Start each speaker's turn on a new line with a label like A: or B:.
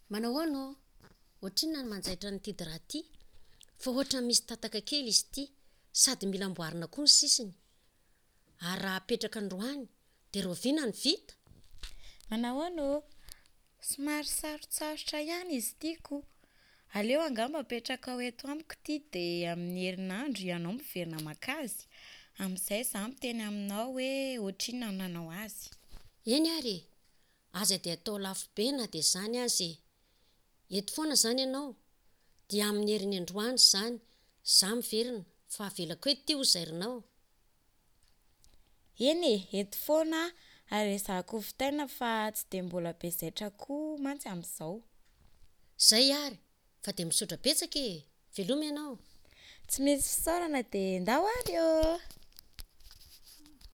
A: Manahoana ô? Ohatrinona ny manjaitra an'ity drap ity? Fa ohatran'ny misy tataka kely izy ity, sady mila amboarina koa ny sisiny. Ary raha apetraka androany dia rahoviana no vita?
B: Manahoana ô? Somary sarotsarotra ihany izy ity ko. Aleo angamba apetrakao eto amiko ity dia amin'ny herinandro ianao miverina maka azy. Amin'izay izaho miteny aminao hoe ohatrinona no nanao azy.
A: Eny ary e! Aza dia atao lafo be na dia izany aza e! Eto foana izany ianao? Dia amin'ny heriny androany izany za miverina fa avelako eto ity ho zairinao.
B: Eny e, eto foana aho ary ezahako ho vitaina fa tsy dia mbola be zaitra koa mantsy amin'izao.
A: Zay ary fa dia misaotra betsaka e! Veloma ianao.
B: Tsy misy fisaorana dia ndao ary ô!